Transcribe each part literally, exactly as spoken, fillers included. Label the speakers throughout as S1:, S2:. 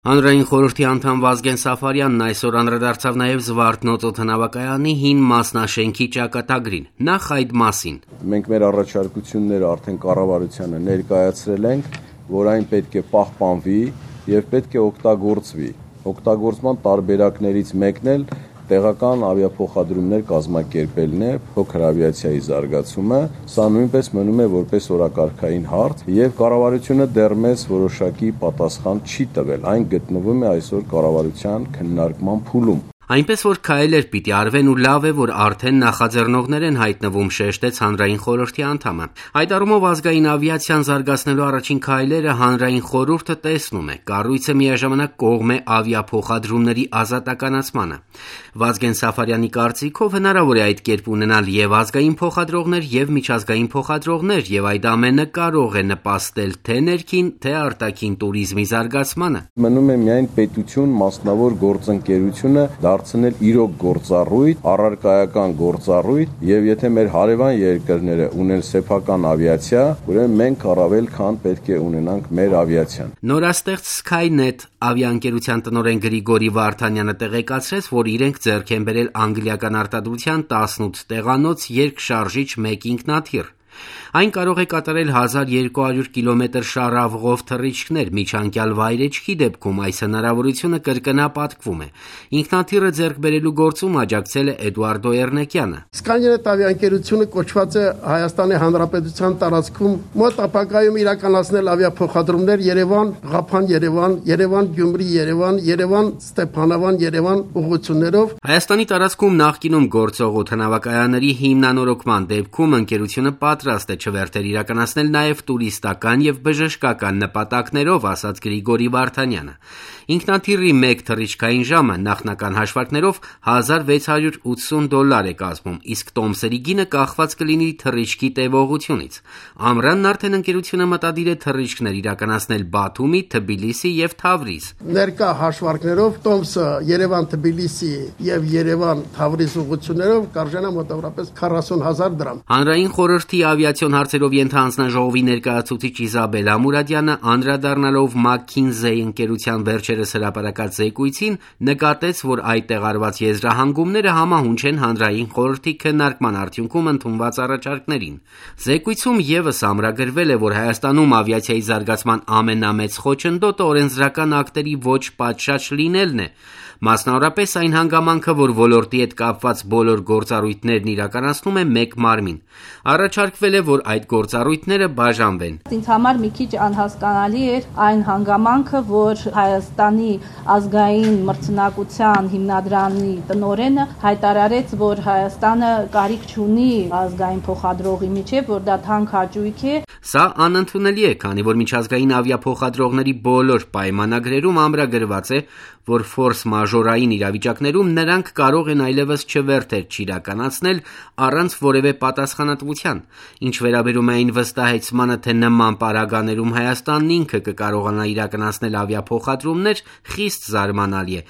S1: Հանրային խորհրդի անդամ Վազգեն Սաֆարյանն այսօր անդրադարձավ նաև Զվարթնոց օդանավակայանի հին մասնաշենքի ճակատագրին, նախ այդ մասին.
S2: Մենք մեր առաջարկությունները արդեն կառավարությանը ներկայացրել ենք, որ այն պետք է պահպանվի եւ պետք է օգտագործվի։ Օգտագործման տարբերակներից մեկն էլ տեղական ավիափոխադրումներ կազմակերպելն է, փոքր ավիացիայի զարգացումը, սա նույնպես մնում է որպես օրակարգային հարց եւ կառավարությունը դեռ մեզ որոշակի պատասխան չի տվել, այն գտնվում է այսօր կառավարության քննարկման փուլում։
S1: Այնպես որ քայլեր պիտի արվեն ու լավ է, որ արդեն նախաձեռնողներ են հայտնվում, շեշտեց հանրային խորհրդի անդամը։ Այդ առումով ազգային ավիացիան զարգացնելու առաջին քայլերը հանրային խորհուրդը տեսնում է, կառույցը միաժամանակ կողմ է ավիափոխադրումների ազատականացմանը։ Վազգեն Սաֆարյանի կարծիքով հնարավոր է այդ կերպ ունենալ եւ ազգային փոխադրողներ եւ միջազգային փոխադրողներ եւ այդ ամենը կարող է նպաստել թե ներքին, թե արտաքին туриզմի զարգացմանը։
S2: Մնում է միայն պետություն, մասնավոր գործընկերությունը դարձնել իրոք գործառույթ, առարկայական գործառույթ եւ եթե մեր հարևան երկրները ունեն սեփական ավիացիա, ուրեմն մենք առավել քան պետք է ունենանք մեր ավիացիան։
S1: Նորաստեղծ Skynet ավիաընկերության տնօրեն Գրիգորի Վարդանյանը տեղեկացրեց, որ իրենք ձեռք են բերել անգլիական արտադրության տասնութ տեղանոց երկշարժիչ մեկ ինքնաթիռ։ Այն կարող է կատարել հազար երկու հարյուր կիլոմետր շարավղով թռիչքներ, միջանկյալ վայրեջքի դեպքում այս հնարավորությունը կրկնապատկվում է։ Ինքնաթիռը ձեռք բերելու գործում աջակցել է Էդուարդո Էրնեկյանը։
S3: Skynet ավիաընկերությունը կոչված է Հայաստանի Հանրապետության տարածքում մոտ ապագայում իրականացնել ավիափոխադրումներ Երևան, Ղափան, Երևան, Երևան, Գյումրի, Երևան, Երևան, Ստեփանավան, Երևան ուղղություններով։
S1: Հայաստանի տարածքում նախկինում գործող օդանավակայանների հիմնանորոգման դեպքում ընկերությունը պատրաստ է չվերթեր իրականացնել նաև տուրիստական եւ բժշկական նպատակներով, ասաց Գրիգորի Վարդանյանը։ Ինքնաթիռի մեկ թռիչքային ժամը նախնական հաշվարկներով հազար վեց հարյուր ութսուն դոլար է կազմում, իսկ տոմսերի գինը կախված կլինի թռիչքի տևողությունից։ Ամռանն արդեն ընկերությունը մտադիր է թռիչքներ իրականացնել Բաթումի, Թբիլիսի եւ Թավրիզ։
S3: Ներկա հաշվարկներով տոմսը Երևան-Թբիլիսի եւ Երևան-Թավրիզ ուղղություններով կարժենա մոտավորապես քառասուն հազար դրամ։
S1: Հանրային խորհրդի ավիացիոն հարցերով ենթահանձնաժողովի ներկայացուցիչ Իզաբելա Մուրադյանը անդրադառնալով McKinsey ընկերության վերջերս հրապարակած զեկույցին նկատեց, որ այդ տեղարված եզրահանգումները համահունչ են հանրային խորհրդի քննարկման արդյունքում ընդունված առաջարկներին։ Զեկույցում եւս ամրագրվել է, որ Հայաստանում ավիացիայի զարգացման ամենամեծ խոչընդոտը օրենսդրական ակտերի ոչ պատշաճ լինելն է։ Մասնավորապես այն հանգամանքը, որ ոլորտի հետ կապված բոլոր գործառույթներն իրականացնում է մեկ մարմին։ Առաջարկվել է, որ այդ գործառույթները բաժանվեն։
S4: Ինձ համար մի քիչ անհասկանալի էր այն հանգամանքը, որ Հայաստանի ազգային մրցունակության հիմնադրամի տնօրենը հայտարարեց, որ Հայաստանը կարիք չունի ազգային փոխադրողի միջև, որ դա թանկ հաճույք է։
S1: Սա անընդունելի է, քանի որ միջազգային ավիափոխադրողների բոլոր պայմանագրերում ամրագրված է, որ ֆորս մաժորային իրավիճակներում նրանք կարող են այլևս չվերթեր չիրականացնել առանց որևէ պատասխանատվության։ Ինչ վերաբերում է այն վստահեցմանը, թե նման պարագաներում Հայաստանն ինքը կկարողանա իրականացնել ավիափոխադրումներ, խիստ զարմանալի է։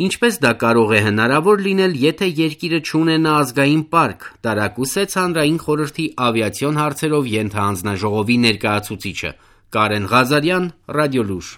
S1: Ինչպես դա կարող է հնարավոր լինել, եթե երկիրը չունենա ազգային պարկ, տարակուսեց հանրային խորհրդի ավիացիոն հարցերով ենթահանձնաժողովի ներկայացուցիչը։ Կարեն Ղազարյան, Ռադիոլուր։